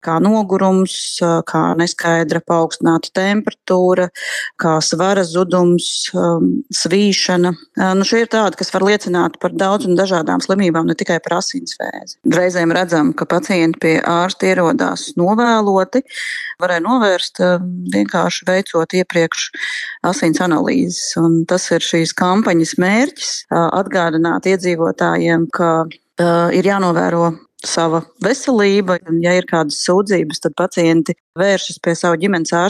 kā nogurums, kā neskaidra paaugstināta temperatūra, kā svara zudums, svīšana. Šie ir tādi, kas var liecināt par daudz un dažādām slimībām, ne tikai par asinsvēzi. Reizēm redzam, ka pacienti pie ārsta ierodās novēloti, varēja novērst vienkārši veicot iepriekš asins analīzes. Un tas ir šīs kampaņas mērķis - atgādināt iedzīvotājiem, ka ir jānovēro sava veselība, un ja ir kādas sūdzības, tad pacienti vēršas pie sava ģimenes ārsta.